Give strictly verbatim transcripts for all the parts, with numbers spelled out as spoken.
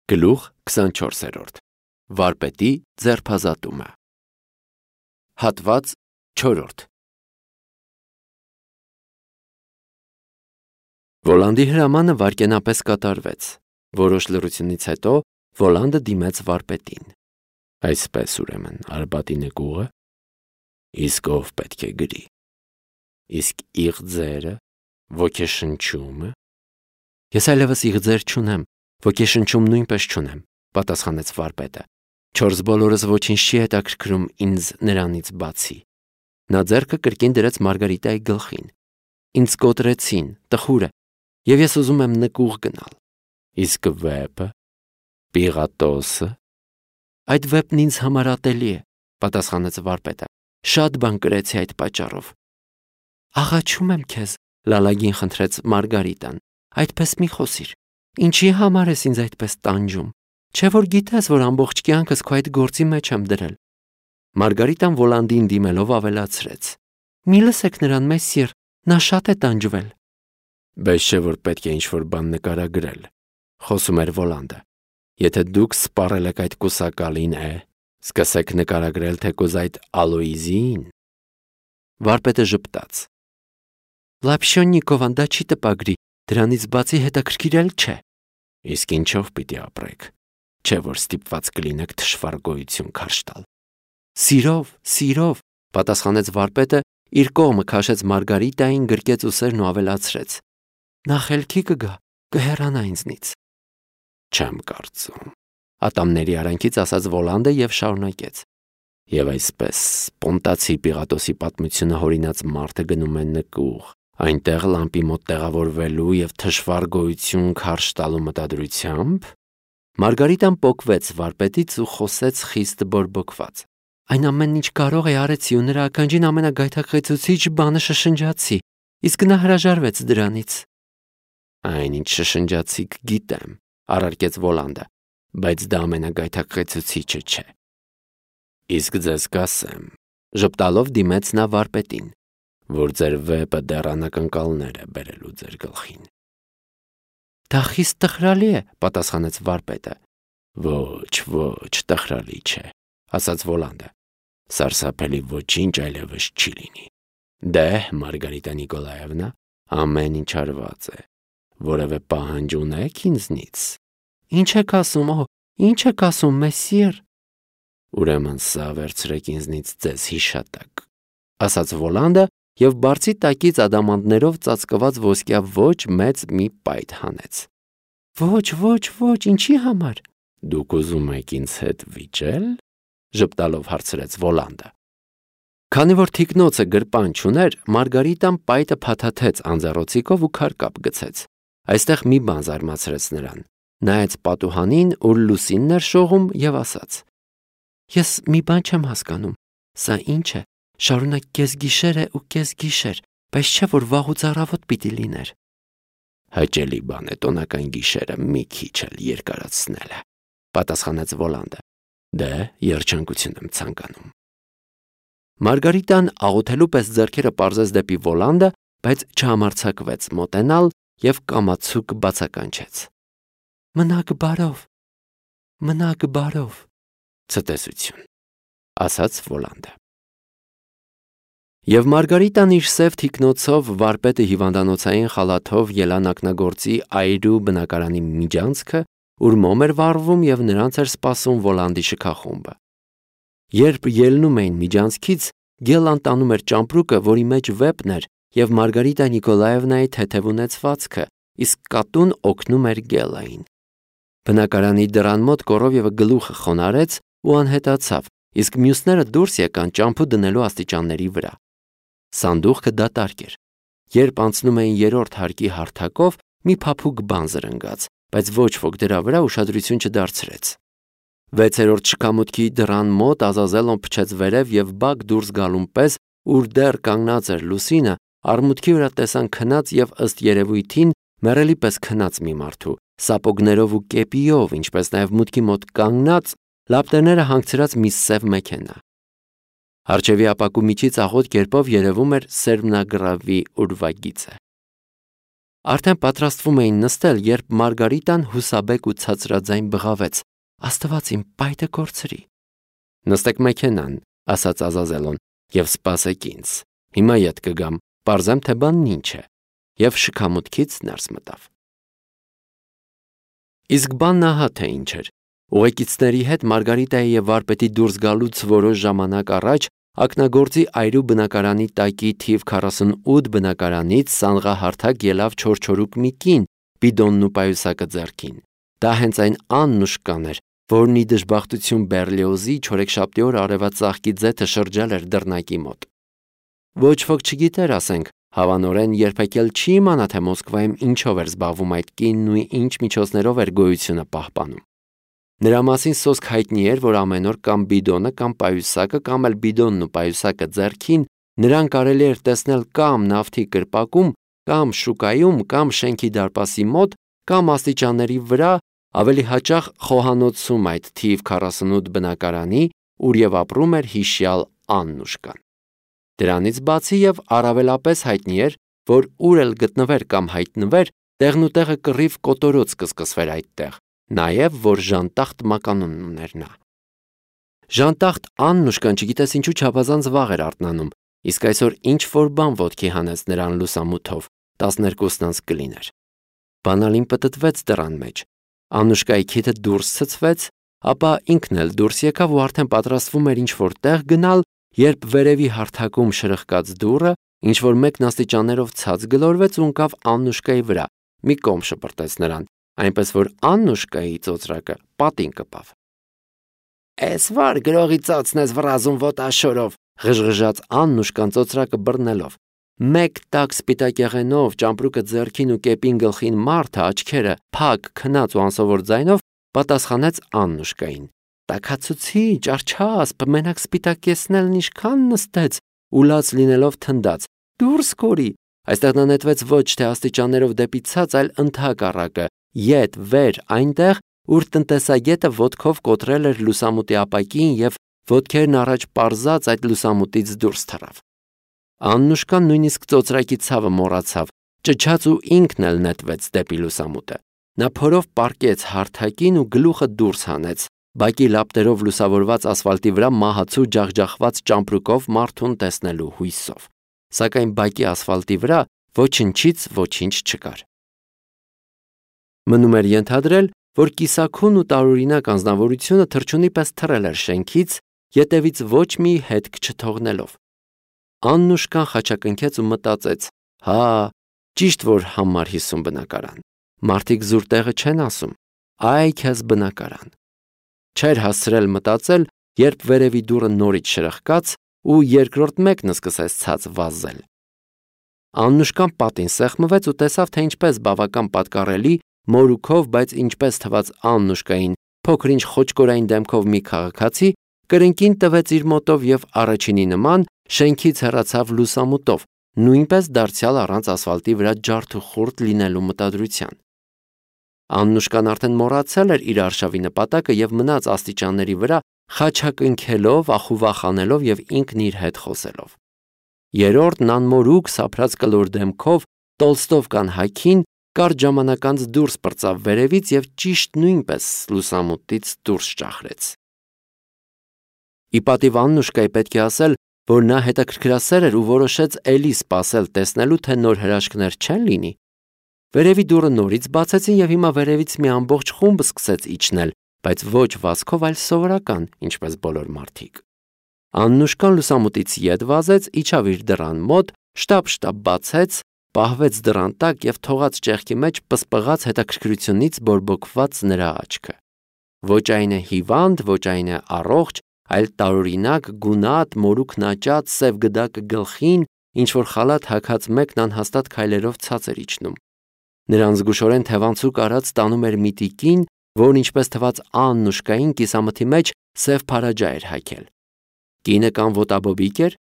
Գլուխ քսանչորսերորդ Վարպետի ձերբազատումը Հատված չորրորդ Վոլանդի հրամանը վայրկենապես կատարվեց։ Որոշ լռությունից հետո Վոլանդը դիմեց վարպետին։ Այսպես ուրեմն Արբատի նկուղը, իսկ ով պետք է գրի։ Իսկ իղձերը, ոգեշնչումը։ Ես այլևս իղձեր չունեմ, ոգեշնչում նույնպես չունեմ, պատասխանեց վարպետը։ Չորս բոլորս ոչինչ չի հետաքրքրում ինձ նրանից բացի։ Նա ձեռքը կրկին դրեց Մարգարիտայի գլխին։ Ինձ կոտրեցին, տխուրը, և ես ուզում եմ նկուղ գնալ։ Իսկ վեպը, Պիղատոսը։ Այդ վեպն ինձ համար ատելի է, պատասխանեց վարպետը։ Շատ բան կրեցի այդ պատճառով։ Աղաչում եմ քեզ, լալագին խնդրեց Մարգարիտան, այդպես մի խոսիր։ Ինչի համար ես ինձ այդպես տանջում։ Չէ՞ որ գիտես, որ ամբողջ կյանքս քո այդ գործի մեջ եմ դրել։ Մարգարիտան Վոլանդին դիմելով ավելացրեց. Մի լսեք նրան, մեսսիր, նա շատ է տանջվել։ Բայց չէ՞ որ պետք է ինչ-որ բան նկարագրել, խոսում էր Վոլանդը։ Եթե դուք սպառել եք այդ կուսակալին, է, սկսեք նկարագրել թեկուզ այդ Ալոիզին։ Վարպետը ժպտաց. Լապշյոննիկովան, դա չի տպագրի, դրանից բացի հետաքրքիր էլ չէ։ Իսկ ինչով պիտի ապրեք, չէ՞ որ ստիպված կլինեք թշվառ գոյություն քարշ տալ։ Սիրով, սիրով, պատասխանեց վարպետը, իր կողմը քաշեց Մարգարիտային, գրկեց ուսերն ու ավելացրեց. Նա խելքի կգա, կհեռանա ինձնից։ Չեմ կարծում, ատամների արանքից ասաց Վոլանդը և շարունակեց. Եվ այսպես Պոնտացի Պիղատոսի պատմությունը հորինած մարդը գնում է նկուղ, այնտեղ լամպի մոտ տեղավորվելու և թշվառ գոյություն քարշ տալու մտադրությամբ։ Մարգարիտան պոկվեց վարպետից ու խոսեց խիստ բորբոքված. Այն ամենն ինչ կարող է արեցի ու նրա ականջին ամենագայթակղեցուցիչ բանը շշնջացի, իսկ նա հրաժարվեց դրանից։ Այնինչ շշնջացիք գիտեմ, առարկեց Վոլանդը, բայց դա ամենագայթակղեցուցիչը չէ։ Իսկ ձեզ կասեմ, ժպտալով դիմեց նա վարպետին, որ ձեր վեպը դեռ անակնկալներ է բերելու ձեր գլխին։ Դա խիստ տխրալի է, պատասխանեց վարպետը։ Ոչ, ոչ, տխրալի չէ, ասաց Վոլանդը։ Սարսափելի ոչինչ այլևս չի լինի։ Դե, Մարգարիտա Նիկոլաևնա, ամեն ինչ արված է։ Որևէ պահանջ ունեք ինձնից։ Ինչ եք ասում, օ, ինչ եք ասում, մեսսիր։ Ուրեմն սա վերցրեք ինձնից ձեզ հիշատակ, ասաց Վոլանդը և բարձի տակից ադամանդներով ծածկված ոսկյա ոչ մեծ մի պայթ հանեց։ Ոչ, ոչ, ոչ, ինչի համար։ Դուք ուզում եք ինձ հետ վիճել, ժպտալով հարցրեց Վոլանդը։ Քանի որ թիկնոցը գրպան չուներ, Մարգարիտան պայթը փաթաթեց անձեռոցիկով ու քարկապ գցեց։ Այստեղ մի բան զարմացրեց նրան։ Նայեց պատուհանին, ուր լուսինն էր շողում, և ասաց. Ես մի բան չեմ հասկանում։ Սա ինչ է։ Շարունակ կեսգիշեր է ու կեսգիշեր, բայց չէ որ վաղուց առավոտ պիտի լիներ։ Հաճելի բան է տոնական գիշերը մի քիչ էլ երկարացնելը, պատասխանեց Վոլանդը։ Դե, երջանկություն եմ ցանկանում։ Մարգարիտան աղոթելու պես ձեռքերը պարզեց դեպի Վոլանդը, բայց չհամարձակվեց մոտենալ և կամացուկ բացականչեց. Մնաք բարով, մնաք բարով, ցտեսություն, ասաց Վոլանդը։ Եվ Մարգարիտան իր սև թիկնոցով, վարպետը հիվանդանոցային խալաթով ելան ակնագործի այրու բնակարանի միջանցքը, ուր մոմ էր վառվում և նրանց էր սպասում Վոլանդի շքախումբը։ Երբ ելնում էին միջանցքից, Գելլան տանում էր ճամպրուկը, որի մեջ վեպն էր, և Մարգարիտա Նիկոլաևնայի թեթև ունեցվածքը, իսկ կատուն օգնում էր Գելլային։ Բնակարանի դռան մոտ կոռովևը գլուխը խոնարհեց ու անհետացավ, իսկ մյուսները դուրս եկան ճամփու դնելու աստիճանների վրա։ Սանդուղքը դատարկ էր։ Երբ անցնում էին երրորդ հարկի հարթակով, մի փափուկ բան զրնգաց, բայց ոչ ոք դրա վրա ուշադրություն չդարձրեց։ Վեցերորդ շքամուտքի դռան մոտ Ազազելոն փչեց վերև և բակ դուրս գալուն պես, ուր դեռ կանգնած էր լուսինը, արմունկի վրա տեսան քնած և ըստ երևույթին մեռելի պես քնած մի մարդու, սապոգներով ու կեպիով, ինչպես նաև մուտքի մոտ կանգնած, լապտերները հանգցրած մի սև մեքենա։ Առջևի ապակու միջից աղոտ կերպով երևում էր սերմնագրավի ուրվագիծը։ Արդեն պատրաստվում էին նստել, երբ Մարգարիտան հուսաբեկ ու ցածրաձայն բղավեց. «Աստված իմ պայթը կորցրի»։ «Նստեք մեքենան», ասաց Ազազելոն, «եւ սպասեք ինձ։ Հիմա ետ կգամ, պարզեմ, թե բանն ինչ է»։ Եվ շքամուտքից ներս մտավ։ Իսկ բանն ահա թե ինչ էր։ Ուղեկիցների հետ Մարգարիտայի եւ վարպետի դուրս գալուց որոշ ժամանակ առաջ ակնագործի այրու բնակարանի տակի թիվ քառասունութ բնակարանից սանղահարթակ ելավ չորչորուկ մի կին, բիդոնն ու պայուսակը ձեռքին։ Դա հենց այն Աննուշկան էր, որն ի դժբախտություն Բերլիոզի չորեքշաբթի օր արևածաղկի ձեթը շրջել էր դռնակի մոտ։ Ոչ ոք չգիտեր, ասենք, հավանորեն երբեք էլ չի իմանա, թե Մոսկվայում ինչով էր զբաղվում այդ կինն ու ինչ միջոցներով էր գոյությունը պահպանում։ Նրա մասին սոսկ հայտնի էր, որ ամեն օր կամ բիդոնը կամ պայուսակը կամ էլ բիդոնն ու պայուսակը ձեռքին նրան կարելի էր տեսնել կամ նավթի կրպակում, կամ շուկայում, կամ շենքի դարպասի մոտ, կամ աստիճանների վրա, ավելի հաճախ խոհանոցում այդ թիվ քառասունութ բնակարանի, ուր եւ ապրում էր հիշյալ Աննուշկան։ Դրանից բացի եւ առավելապես հայտնի էր, որ ուր էլ գտնվեր կամ հայտնվեր, տեղնուտեղը կռիվ կոտորոց կսկսվեր այդտեղ, նաեւ որ Ժանտախտ մականուն ուներ նա։ Ժանտախտ Աննուշկան չգիտես ինչու չափազանց վաղ էր արթնանում, իսկ այսօր ինչ որ բան ոտքի հանեց նրան լուսամութով, տասներկուսն անց կլիներ։ Բանալին պտտվեց դռան մեջ։ Աննուշկայի քիթը դուրս ցցվեց, ապա ինքն էլ դուրս եկավ ու արդեն պատրաստվում էր ինչ որ տեղ գնալ, երբ վերևի հարթակում շրխկաց դուռը, ինչ որ մեկն աստիճաններով ցած գլորվեց ու ընկավ Աննուշկայի վրա, մի կողմ շպրտեց նրան, այնպես որ Աննուշկայի ծոծրակը պատին կպավ։ «Էս վար գրողի ծոցն ես վռազում ոտաշորով», ղժղժաց Աննուշկան ծոծրակը բռնելով։ Մեկ տակ սպիտակ եղենով, ճամպրուկը ձեռքին ու կեպին գլխին մարդը, աչքերը փակ, քնած ու անսովոր ձայնով պատասխանեց Աննուշկային. «Տաքացուցիչ, արջասպ, մենակ սպիտակ կեսնելն ինչքան նստեց», ու լաց լինելով թնդաց. «Դուրս կորի»։ Այստեղ նա նետվեց ոչ թե աստիճաններով դեպի ցած, այլ ընդհակառակը, ետ, վեր, այնտեղ, ուր տնտեսագետը ոտքով կոտրել էր լուսամուտի ապակին եւ ոտքերն առաջ պարզած այդ լուսամուտից դուրս թռավ։ Աննուշկան նույնիսկ ծոծրակի ցավը մոռացավ, ճչաց ու ինքն էլ նետվեց դեպի լուսամուտը։ Նա փորով պառկեց հարթակին ու գլուխը դուրս հանեց, բակի լապտերով լուսավորված ասֆալտի վրա մահացու ջախջախված ճամպրուկով մարդուն տեսնելու հույսով։ Սակայն բակի ասֆալտի վրա ոչնչից ոչինչ չկար։ Մնում էր ենթադրել, որ կիսաքուն ու տարօրինակ անձնավորությունը թռչունի պես թռել էր շենքից, ետևից ոչ մի հետք չթողնելով։ Աննուշկան խաչակնքեց ու մտածեց. «Հա, ճիշտ որ համար հիսուն բնակարան։ Մարդիկ զուր տեղը չեն ասում, այ քեզ բնակարան»։ Չէր հասցրել մտածել, երբ վերևի դուռը նորից շրխկաց ու երկրորդ մեկն սկսեց ցած վազել։ Աննուշկան պատին սեղմվեց ու տեսավ, թե ինչպես բավական պատկառելի, մորուքով, բայց ինչպես թվաց Աննուշկային, փոքր-ինչ խոճկորային դեմքով մի քաղաքացի կրնկին տվեց իր մոտով եւ առաջինի նման շենքից հեռացավ լուսամուտով, նույնպես դարձյալ առանց ասֆալտի վրա ջարդ ու խուրդ լինելու մտադրության։ Աննուշկան արդեն մոռացել էր իր արշավի նպատակը եւ մնաց աստիճանների վրա խաչակնքելով, ախուվախանելով եւ ինքն իր հետ խոսելով։ Երրորդն անմորուք սափրած կլոր դեմքով Տոլստովկան հագին կարճ ժամանակ անց դուրս պրծավ վերևից եւ ճիշտ նույնպես լուսամուտից դուրս ճախրեց։ Ի պատիվ Աննուշկայի պետք է ասել, որ նա հետաքրքրասեր էր ու որոշեց էլի սպասել տեսնելու, թե նոր հրաշքներ չեն լինի։ Վերևի դուռը նորից բացեցին եւ հիմա վերևից մի ամբողջ խումբ սկսեց իջնել, բայց ոչ վազքով, այլ սովորական, ինչպես բոլոր մարդիկ։ Աննուշկան լուսամուտից ետ վազեց, իջավ իր դռան մոտ, շտապ-շտապ բացեց, պահվեց դռան տակ եւ թողած ճեղքի մեջ պսպղաց հետաքրքրությունից բորբոքված նրա աչքը։ Ոչ այն է հիվանդ, ոչ այն է առողջ, այլ տարօրինակ, գունատ, մորուքն աճած, սև գդակը գլխին, ինչ որ խալաթ հագած մեկն անհաստատ քայլերով ցած էր իջնում։ Նրան զգուշորեն թևանցուկ արած տանում էր մի տիկին, որն ինչպես թվաց Աննուշկային կիսամթի մեջ սև փարաջա էր հագել։ Կինը կամ ոտաբոբիկ էր,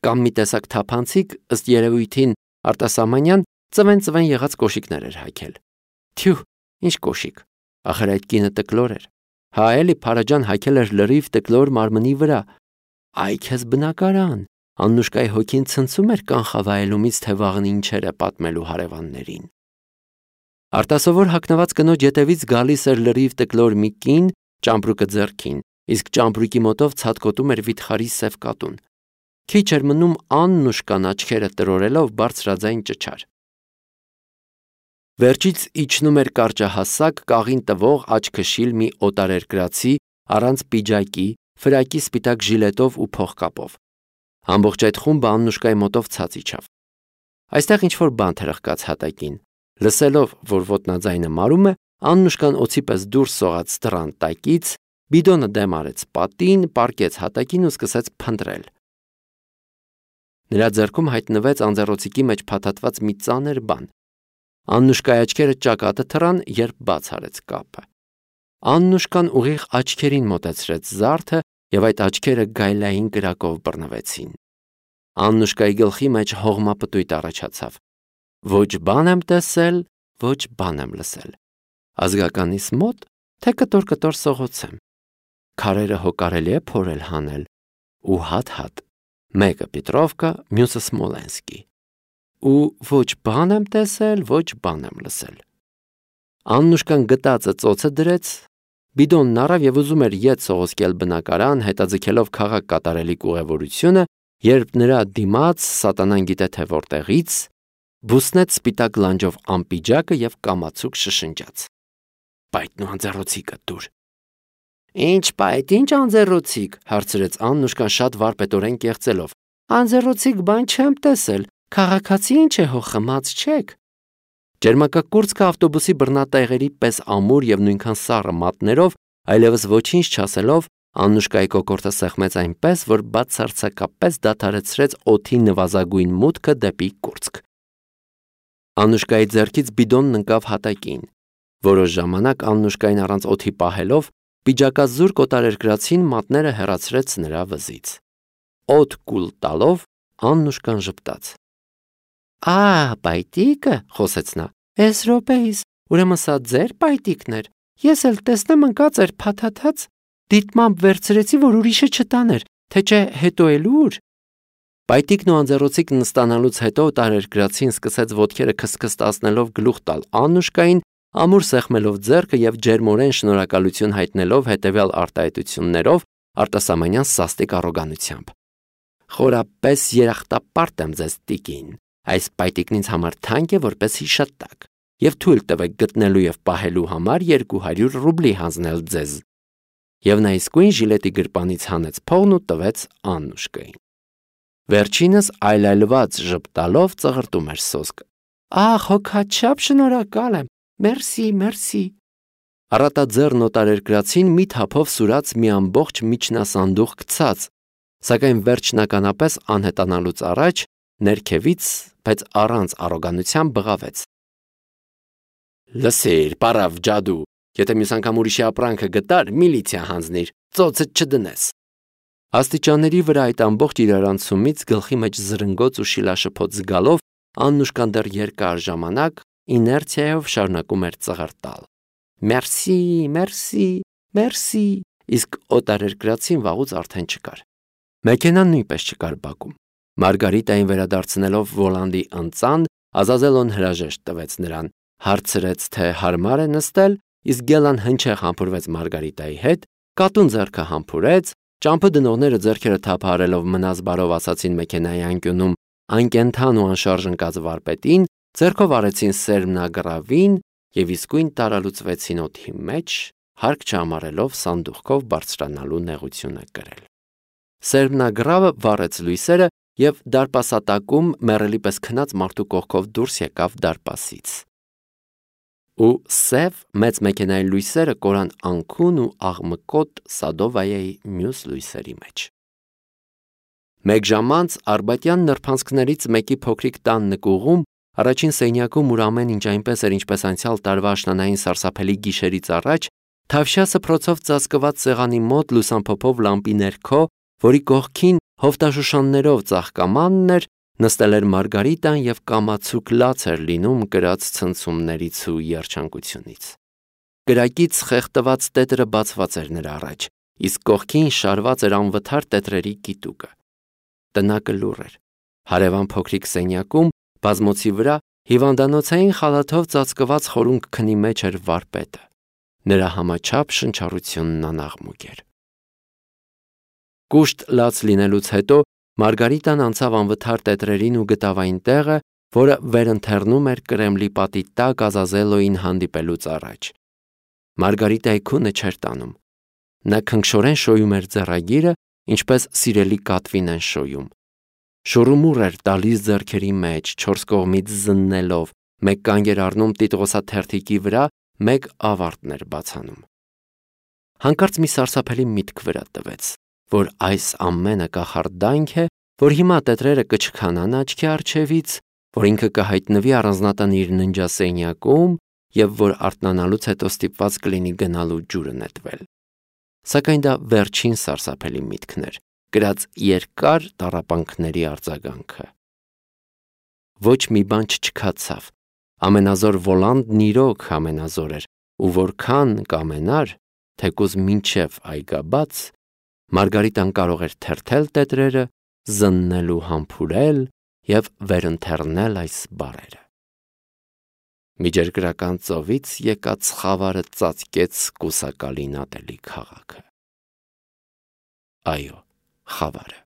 կամ մի տեսակ թափանցիկ, ըստ երևույթին արտասահմանյան ծվեն-ծվեն եղած կոշիկներ էր հագել։ Թյու, ինչ կոշիկ, ախր այդ կինը տկլոր էր։ Հա էլի փարաջան հագել էր լրիվ տկլոր մարմնի վրա։ Այ քեզ բնակարան։ Աննուշկայի հոգին ցնցում էր կանխավայելումից, թե վաղն ինչեր է պատմելու հարևաններին։ Արտասովոր հագնված կնոջ ետևից գալիս էր լրիվ տկլոր մի կին, ճամպրուկը ձեռքին, իսկ ճամպրուկի մոտով ցատկոտում էր վիթխարի սև կատուն։ Քիչ էր մնում Աննուշկան աչքերը տրորելով բարձրաձայն ճչար։ Վերջից իջնում էր կարճահասակ, կաղին տվող աչքշիլ մի օտարերկրացի առանց պիջակի, ֆրակի սպիտակ ժիլետով ու փողկապով։ Ամբողջ այդ խումբը Աննուշկայի մոտով ցած իջավ։ Այստեղ ինչ-որ բան թրխկաց հատակին։ Լսելով, որ ոտնաձայնը մարում է, Աննուշկան օձի պես դուրս սողաց դռան տակից, բիդոնը դեմ արեց պատին, պառկեց հատակին ու սկսեց փնտրել։ Նրա ձեռքում հայտնվեց անձեռոցիկի մեջ փաթաթված մի ծանր բան։ Աննուշկայի աչքերը ճակատը թռան, երբ բաց արեց կապը։ Աննուշկան ուղիղ աչքերին մոտեցրեց զարդը եւ այդ աչքերը գայլային կրակով բռնվեցին։ Աննուշկայի գլխի մեջ հողմապտույտ առաջացավ։ Ոչ բան եմ տեսել, ոչ բան եմ լսել։ Ազգականիս մոտ, թե կտոր-կտոր սողոցեմ։ Քարերը հո կարելի է փորել հանել ու հատ-հատ։ Մեկը Պետրովկա, մյուսը Սմոլենսկի։ Ու ոչ բան եմ տեսել, ոչ բան եմ լսել։ Աննուշկան գտածը ծոցը դրեց, բիդոնն առավ եւ ուզում էր ետ սողոսկել բնակարան, հետաձգելով քաղաք կատարելիք ուղևորությունը, երբ նրա դիմաց սատանան գիտե թե որտեղից բուսնեց սպիտակ լանջով անպիջակը եւ կամացուկ շշնջաց. Պայթն ու անձեռոցիկը դուր։ Ինչ պայթ, ինչ անձեռոցիկ, հարցրեց Աննուշկան շատ վարպետորեն կեղծելով։ Անձեռոցիկ բան չեմ տեսել, քաղաքացի ինչ է հո խմած չեք։ Ջերմակակուրծքը ավտոբուսի բռնատեղերի պես ամուր եւ նույնքան սառը մատներով, այլևս ոչինչ չասելով, Աննուշկայի կոկորդը սեղմեց այնպես, որ բացարձակապես դադարեցրեց օդի նվազագույն մուտքը դեպի կուրծք։ Աննուշկայի ձեռքից բիդոնն ընկավ հատակին։ Որոշ ժամանակ Աննուշկային առանց օդի պահելով, պիջակազուրկ օտարերկրացին մատները հեռացրեց նրա վզից։ Օդ կուլ տալով Աննուշկան ժպտաց։ Ա, պայտիկը, խոսեց նա, էս րոպեիս, ուրեմն սա ձեր պայտիկն էր, ես էլ տեսնեմ ընկած էր փաթաթած, դիտմամբ վերցրեցի, որ ուրիշը չտաներ, թե չէ հետո էլ ուր։ Պայտիկն ու անձեռոցիկն ստանալուց հետո օտարերկրացին սկսեց ոտքերը քսքստացնելով գլուխ տալ Աննուշկային, ամուր սեղմելով ձեռքը եւ ջերմորեն շնորհակալություն հայտնելով հետեւյալ արտահայտություններով արտասահմանյան սաստիկ առոգանությամբ։ Խորապես երախտապարտ եմ ձեզ տիկին, այս պայտիկն ինձ համար թանկ է որպես հիշատակ, եւ թույլ տվեք գտնելու եւ պահելու համար երկու հարյուր ռուբլի հանձնել ձեզ։ Եվ նա իսկույն ժիլետի գրպանից հանեց փողն ու տվեց Աննուշկային։ Վերջինս այլայլված ժպտալով ծղրտում էր սոսկը։ Ախ, հոգաչափ շնորհակալ եմ, մերսի, մերսի։ Առատաձեռն օտարերկրացին մի թափով սուրաց մի ամբողջ միջնասանդուղ գցած, սակայն վերջնականապես անհետանալուց առաջ ներքևից, բայց առանց առոգանության բղավեց. Լսիր, պարավ ջադու, եթե մյուս անգամ ուրիշի ապրանքը գտար, միլիցիա հանձնիր, ծոցդ չդնես։ Աստիճանների վրա այդ ամբողջ իրարանցումից գլխի մեջ զրնգոց ու շիլաշփոթ զգալով Աննուշկան դեռ երկար ժամանակ իներցիայով շարունակում էր ծղրտալ։ Մերսի, մերսի, մերսի, իսկ օտարերկրացին վաղուց արդեն չկար։ Մեքենան նույնպես չկար բակում։ Մարգարիտային վերադարձնելով Վոլանդի ընծան, Ազազելոն հրաժեշտ տվեց նրան, հարցրեց, թե հարմար է նստել, իսկ Գելան հնչեղ համբուրվեց Մարգարիտայի հետ, կատուն ձեռքը համբուրեց, ճամփը դնողները ձեռքերը թափահարելով մնաս բարով ասացին մեքենայի անկյունում անկենթան ու անշարժ ընկած վարպետին, ձեռքով արեցին սերմնագրավին եւ իսկույն տարալուծվեցին օդի մեջ, հարկ չհամարելով սանդուղքով բարձրանալու նեղությունը կրել։ Սերմնագրավը վառեց լույսերը եւ դարպասատակում մեռելի պես քնած մարդու կողքով դուրս եկավ դարպասից։ Ու սև մեծ մեքենայի լույսերը կորան անքուն ու աղմկոտ Սադովայայի մյուս լույսերի մեջ։ Մեկ ժամ անց արբատյան նրբանցքներից մեկի փոքրիկ տան նկուղում, առաջին սենյակում, ուր ամեն ինչ այնպես էր, ինչպես անցյալ տարվա աշնանային սարսափելի գիշերից առաջ, Թավշյա սփռոցով ծածկված սեղանի մոտ լուսամփոփով լամպի ներքո, որի կողքին հովտաշուշաններով ծաղկամանն էր, նստել էր Մարգարիտան եւ կամացուկ լաց էր լինում կրած ցնցումներից ու երջանկությունից։ Կրակից խեղդված տետրը բացված էր նրա առաջ, իսկ կողքին շարված էր անվթար տետրերի կիտուկը։ Տնակը լուռ էր։ Հարևան փոքրիկ սենյակում բազմոցի վրա Հիվանդանոցային խալաթով ծածկված խորունկ քնի մեջ էր վարպետը, նրա համաչափ շնչառությունն անաղմուկ էր։ Կուշտ լաց լինելուց հետո Մարգարիտան անցավ անվթար տետրերին ու գտավ այն տեղը, որը վերընթեռնում էր Կրեմլի պատի տակ Ազազելոյին հանդիպելուց առաջ։ Մարգարիտայի քունը չէր տանում։ Նա քնքշորեն շոյում էր ձեռագիրը, ինչպես սիրելի կատվին են շոյում։ Շուռումուռ էր տալիս ձեռքերի մեջ, չորս կողմից զննելով, մեկ կանգ էր առնում տիտղոսաթերթիկի վրա, մեկ ավարտն էր բացանում։ Հանկարծ մի սարսափելի միտք վրա տվեց, որ այս ամենը կախարդանք է, որ հիմա տետրերը կչքանան աչքի առջևից, որ ինքը կհայտնվի առանձնատան իր ննջասենյակում և որ արթնանալուց հետո ստիպված կլինի գնալու ջուրը նետվել։ Սակայն դա վերջին սարսափելի միտքն էր, կրած երկար տառապանքների արձագանքը։ Ոչ մի բան չչքացավ, ամենազոր Վոլանդն իրոք ամենազոր էր, ու որքան կամենար, թեկուզ մինչև այգաբաց, Մարգարիտան կարող էր թերթել տետրերը, զննել ու համբուրել և վերընթեռնել այս բառերը։ Միջերկրական ծովից եկած խավարը ծածկեց կուսակալին ատելի քաղաքը։ Այո, խավարը։